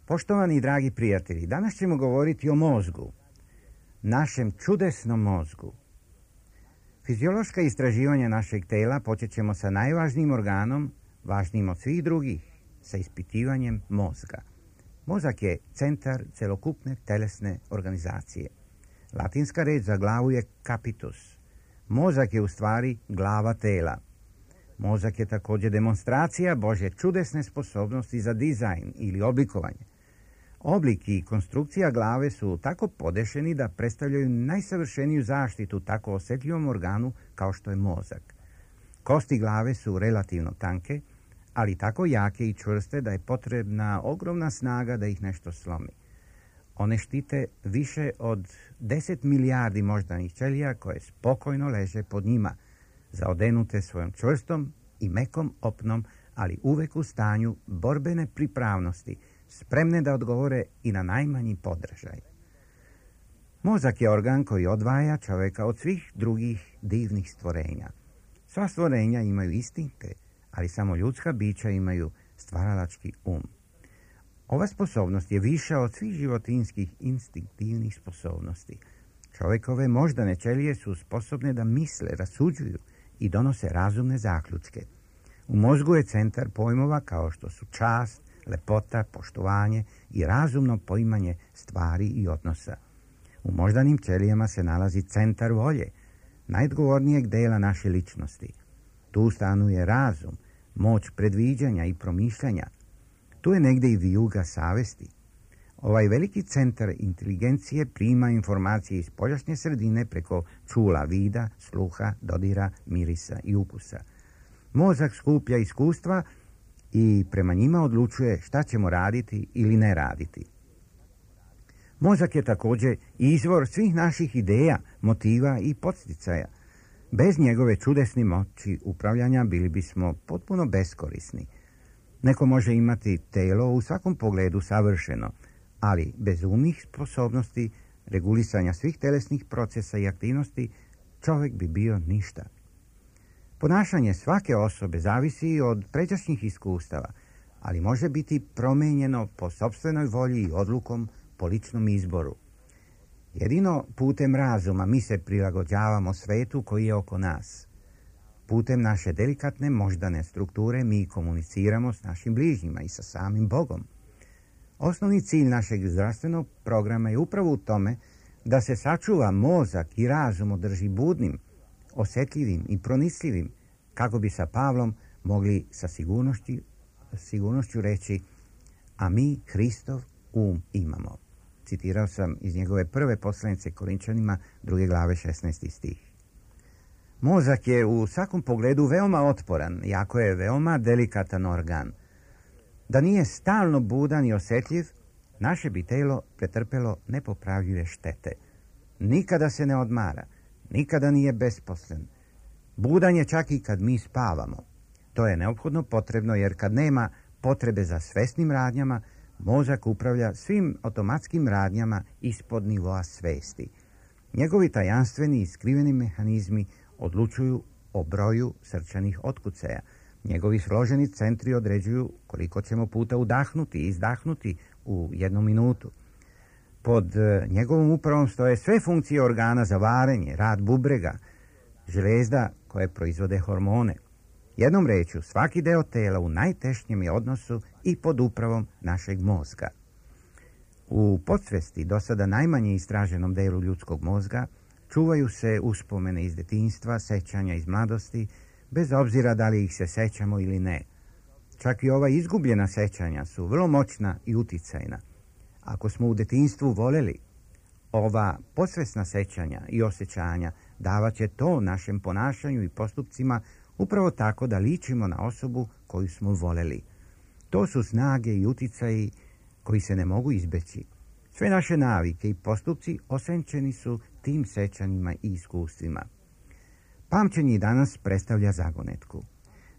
Poštovani i dragi prijatelji, danas ćemo govoriti o mozgu, našem čudesnom mozgu. Fiziološka istraživanja našeg tela počet ćemo sa najvažnijim organom, važnijim od svih drugih, sa ispitivanjem mozga. Mozak je centar celokupne telesne organizacije. Latinska reč za glavu je capitus. Mozak je u stvari glava tela. Mozak je također demonstracija Božje čudesne sposobnosti za dizajn ili oblikovanje. Oblik i konstrukcija glave su tako podešeni da predstavljaju najsavršeniju zaštitu tako osjetljivom organu kao što je mozak. Kosti glave su relativno tanke, ali tako jake i čvrste da je potrebna ogromna snaga da ih nešto slomi. One štite više od 10 milijardi moždanih ćelija koje spokojno leže pod njima, zaodenute svojom čvrstom i mekom opnom, ali uvek u stanju borbene pripravnosti, spremne da odgovore i na najmanji podražaj. Mozak je organ koji odvaja čovjeka od svih drugih divnih stvorenja. Sva stvorenja imaju instinkte, ali samo ljudska bića imaju stvaralački um. Ova sposobnost je viša od svih životinjskih instinktivnih sposobnosti. Čovjekove moždane ćelije su sposobne da misle, rasuđuju i donose razumne zaključke. U mozgu je centar pojmova kao što su čast, lepota, poštovanje i razumno poimanje stvari i odnosa. U moždanim ćelijama se nalazi centar volje, najodgovornijeg dela naše ličnosti. Tu stanuje razum, moć predviđanja i promišljanja. Tu je negdje i vijuga savesti. Ovaj veliki centar inteligencije prima informacije iz spoljašnje sredine preko čula vida, sluha, dodira, mirisa i ukusa. Mozak skuplja iskustva i prema njima odlučuje šta ćemo raditi ili ne raditi. Mozak je također izvor svih naših ideja, motiva i podsticaja. Bez njegove čudesne moći upravljanja bili bismo potpuno beskorisni. Neko može imati telo u svakom pogledu savršeno, ali bez umnih sposobnosti regulisanja svih telesnih procesa i aktivnosti čovjek bi bio ništa. Ponašanje svake osobe zavisi od pređašnjih iskustava, ali može biti promijenjeno po sopstvenoj volji i odlukom po ličnom izboru. Jedino putem razuma mi se prilagođavamo svetu koji je oko nas. Putem naše delikatne moždane strukture mi komuniciramo s našim bližnjima i sa samim Bogom. Osnovni cilj našeg zdravstvenog programa je upravo u tome da se sačuva mozak i razum održi budnim, osjetljivim i pronicljivim, kako bi sa Pavlom mogli sa sigurnošću reći: a mi Hristov um imamo. Citirao sam iz njegove prve poslanice Korinčanima 2. glave 16. stih. Mozak je u svakom pogledu veoma otporan, jako je veoma delikatan organ. Da nije stalno budan i osjetljiv, naše bi telo pretrpelo nepopravljive štete. Nikada se ne odmara, nikada nije besposlen. Budan je čak i kad mi spavamo. To je neophodno potrebno jer kad nema potrebe za svesnim radnjama, mozak upravlja svim automatskim radnjama ispod nivoa svesti. Njegovi tajanstveni i skriveni mehanizmi odlučuju o broju srčanih otkucaja. Njegovi složeni centri određuju koliko ćemo puta udahnuti i izdahnuti u 1 minutu. Pod njegovom upravom stoje sve funkcije organa za varenje, rad bubrega, željezda koje proizvode hormone. Jednom rečju, svaki deo tela u najtešnjem je odnosu i pod upravom našeg mozga. U podsvesti, do sada najmanje istraženom delu ljudskog mozga, čuvaju se uspomene iz detinjstva, sećanja iz mladosti, bez obzira da li ih se sećamo ili ne. Čak i ova izgubljena sećanja su vrlo moćna i uticajna. Ako smo u detinjstvu voljeli, ova podsvesna sećanja i osjećanja davat će to našem ponašanju i postupcima Upravo tako da ličimo na osobu koju smo voljeli. To su snage i uticaji koji se ne mogu izbeći. Sve naše navike i postupci osenčeni su tim sećanjima i iskustvima. Pamćenje i danas predstavlja zagonetku.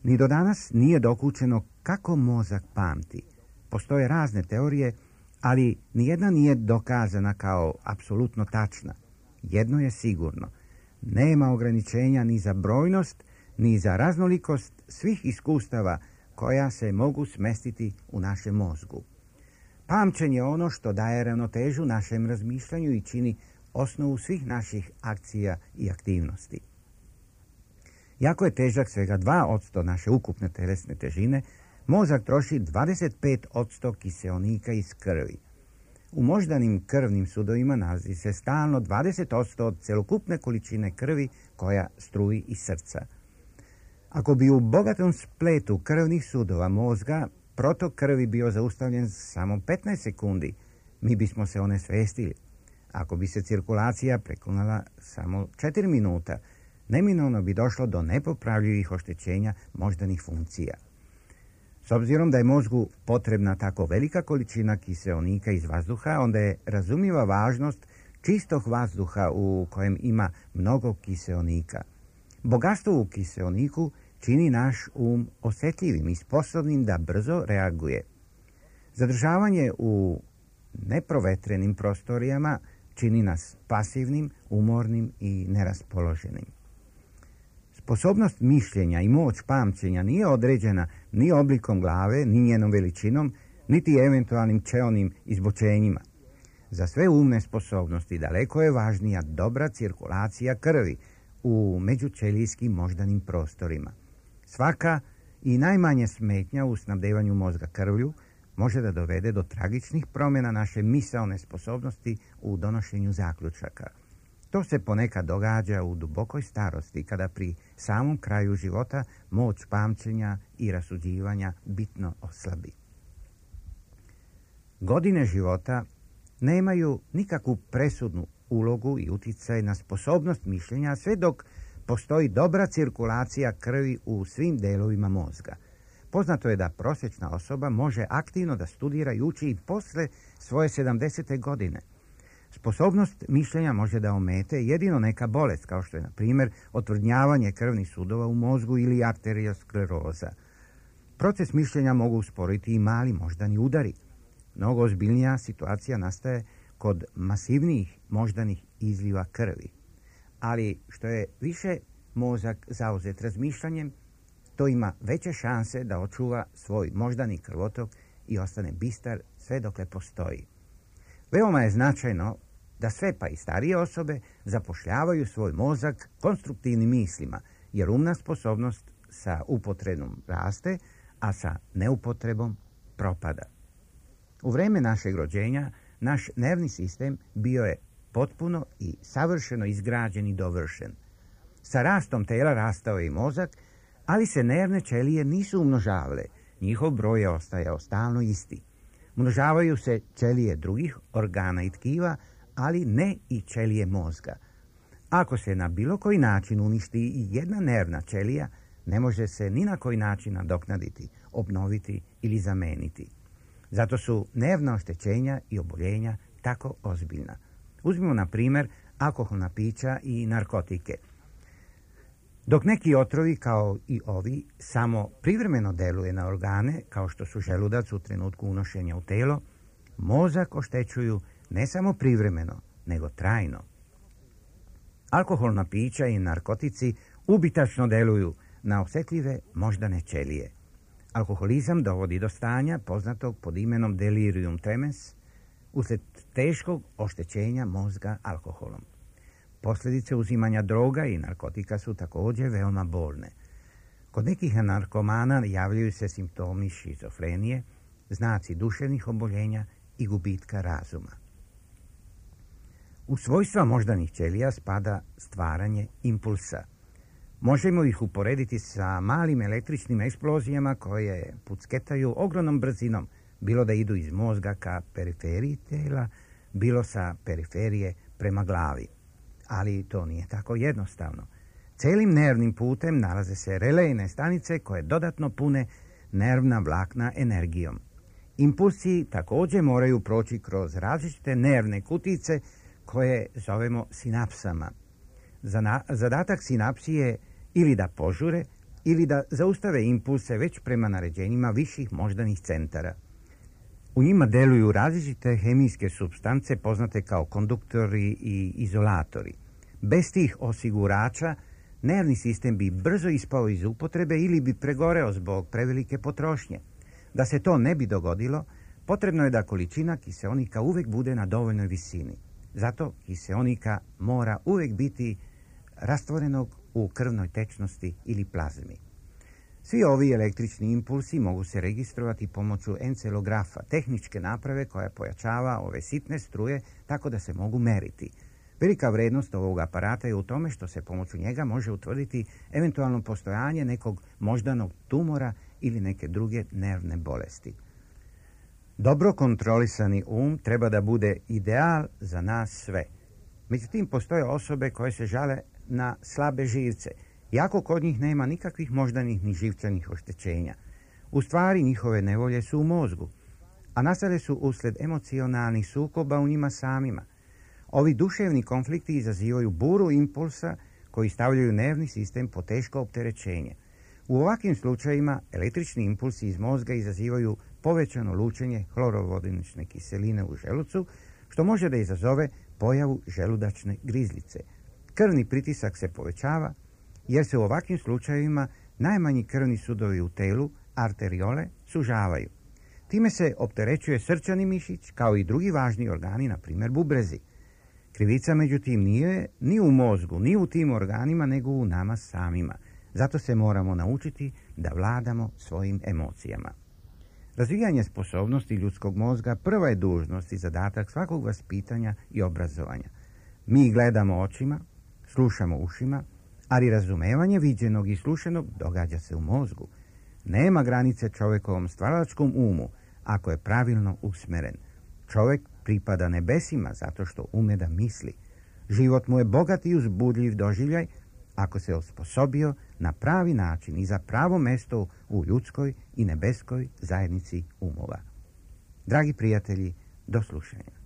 Ni do danas nije dokučeno kako mozak pamti. Postoje razne teorije, ali nijedna nije dokazana kao apsolutno tačna. Jedno je sigurno. Nema ograničenja ni za brojnost, ni za raznolikost svih iskustava koja se mogu smestiti u našem mozgu. Pamćenje je ono što daje ravnotežu našem razmišljanju i čini osnovu svih naših akcija i aktivnosti. Jako je težak svega 2% naše ukupne telesne težine, mozak troši 25% kiseonika iz krvi. U moždanim krvnim sudovima nalazi se stalno 20% od celokupne količine krvi koja struji iz srca. Ako bi u bogatom spletu krvnih sudova mozga protok krvi bio zaustavljen samo 15 sekundi, mi bismo se onesvestili. Ako bi se cirkulacija prekonala samo 4 minuta, neminovno bi došlo do nepopravljivih oštećenja moždanih funkcija. S obzirom da je mozgu potrebna tako velika količina kiseonika iz vazduha, onda je razumljiva važnost čistog vazduha u kojem ima mnogo kiseonika. Bogatstvo u kiseoniku čini naš osjetljivim i sposobnim da brzo reaguje. Zadržavanje u neprovetrenim prostorijama čini nas pasivnim, umornim i neraspoloženim. Sposobnost mišljenja i moć pamćenja nije određena ni oblikom glave, ni njenom veličinom, niti eventualnim čeonim izbočenjima. Za sve umne sposobnosti daleko je važnija dobra cirkulacija krvi u međućelijskim moždanim prostorima. Svaka i najmanja smetnja u snabdevanju mozga krvlju može da dovede do tragičnih promjena naše misaone sposobnosti u donošenju zaključaka. To se ponekad događa u dubokoj starosti, kada pri samom kraju života moć pamćenja i rasuđivanja bitno oslabi. Godine života nemaju nikakvu presudnu ulogu i uticaj na sposobnost mišljenja sve dok postoji dobra cirkulacija krvi u svim delovima mozga. Poznato je da prosječna osoba može aktivno da studira i uči i posle svoje 70. godine. Sposobnost mišljenja može da omete jedino neka bolest, kao što je, na primjer, otvrdnjavanje krvnih sudova u mozgu ili arterioskleroza. Proces mišljenja mogu usporiti i mali moždani udari. Mnogo ozbiljnija situacija nastaje kod masivnijih moždanih izliva krvi. Ali što je više mozak zauzet razmišljanjem, to ima veće šanse da očuva svoj moždani krvotok i ostane bistar sve dokle postoji. Veoma je značajno da sve pa i starije osobe zapošljavaju svoj mozak konstruktivnim mislima, jer umna sposobnost sa upotrebom raste, a sa neupotrebom propada. U vreme našeg rođenja naš nervni sistem bio je potpuno i savršeno izgrađen i dovršen. Sa rastom tela rastao je i mozak, ali se nervne ćelije nisu umnožavale. Njihov broj je ostajao stalno isti. Umnožavaju se ćelije drugih organa i tkiva, ali ne i ćelije mozga. Ako se na bilo koji način uništi i jedna nervna ćelija, ne može se ni na koji način nadoknaditi, obnoviti ili zameniti. Zato su nervna oštećenja i oboljenja tako ozbiljna. Uzmimo, na primjer, alkoholna pića i narkotike. Dok neki otrovi, kao i ovi, samo privremeno deluje na organe, kao što su želudac u trenutku unošenja u telo, mozak oštećuju ne samo privremeno, nego trajno. Alkoholna pića i narkotici ubitačno deluju na osjetljive moždane ćelije. Alkoholizam dovodi do stanja poznatog pod imenom delirium tremens uslijed teškog oštećenja mozga alkoholom. Posljedice uzimanja droga i narkotika su također veoma bolne. Kod nekih narkomana javljaju se simptomi šizofrenije, znaci duševnih oboljenja i gubitka razuma. U svojstva moždanih ćelija spada stvaranje impulsa. Možemo ih uporediti sa malim električnim eksplozijama koje pucketaju ogromnom brzinom, bilo da idu iz mozga ka periferiji tela, bilo sa periferije prema glavi. Ali to nije tako jednostavno. Celim nervnim putem nalaze se relejne stanice koje dodatno pune nervna vlakna energijom. Impulsi također moraju proći kroz različite nervne kutice koje zovemo sinapsama. Zadatak sinapsi je ili da požure ili da zaustave impulse već prema naređenjima viših moždanih centara. U njima deluju različite hemijske supstance poznate kao konduktori i izolatori. Bez tih osigurača nervni sistem bi brzo ispao iz upotrebe ili bi pregoreo zbog prevelike potrošnje. Da se to ne bi dogodilo, potrebno je da količina kiseonika uvijek bude na dovoljnoj visini. Zato kiseonika mora uvijek biti rastvorenog u krvnoj tečnosti ili plazmi. Svi ovi električni impulsi mogu se registrovati pomoću encelografa, tehničke naprave koja pojačava ove sitne struje tako da se mogu meriti. Velika vrednost ovog aparata je u tome što se pomoću njega može utvrditi eventualno postojanje nekog moždanog tumora ili neke druge nervne bolesti. Dobro kontrolisani treba da bude ideal za nas sve. Međutim, postoje osobe koje se žale na slabe živce, iako kod njih nema nikakvih moždanih ni živčanih oštećenja. U stvari, njihove nevolje su u mozgu, a nastale su uslijed emocionalnih sukoba u njima samima. Ovi duševni konflikti izazivaju buru impulsa koji stavljaju nervni sistem po teško opterećenje. U ovakvim slučajima električni impulsi iz mozga izazivaju povećano lučenje hlorovodonične kiseline u želucu, što može da izazove pojavu želudačne grizlice. Krvni pritisak se povećava, jer se u ovakvim slučajevima najmanji krvni sudovi u telu, arteriole, sužavaju. Time se opterećuje srčani mišić, kao i drugi važni organi, na primjer bubrezi. Krivica, međutim, nije ni u mozgu, ni u tim organima, nego u nama samima. Zato se moramo naučiti da vladamo svojim emocijama. Razvijanje sposobnosti ljudskog mozga prva je dužnost i zadatak svakog vaspitanja i obrazovanja. Mi gledamo očima, slušamo ušima, ali razumevanje viđenog i slušenog događa se u mozgu. Nema granice čovjekovom stvaralačkom umu ako je pravilno usmeren. Čovjek pripada nebesima zato što ume da misli. Život mu je bogat i uzbudljiv doživljaj ako se osposobio na pravi način i za pravo mesto u ljudskoj i nebeskoj zajednici umova. Dragi prijatelji, do slušanja.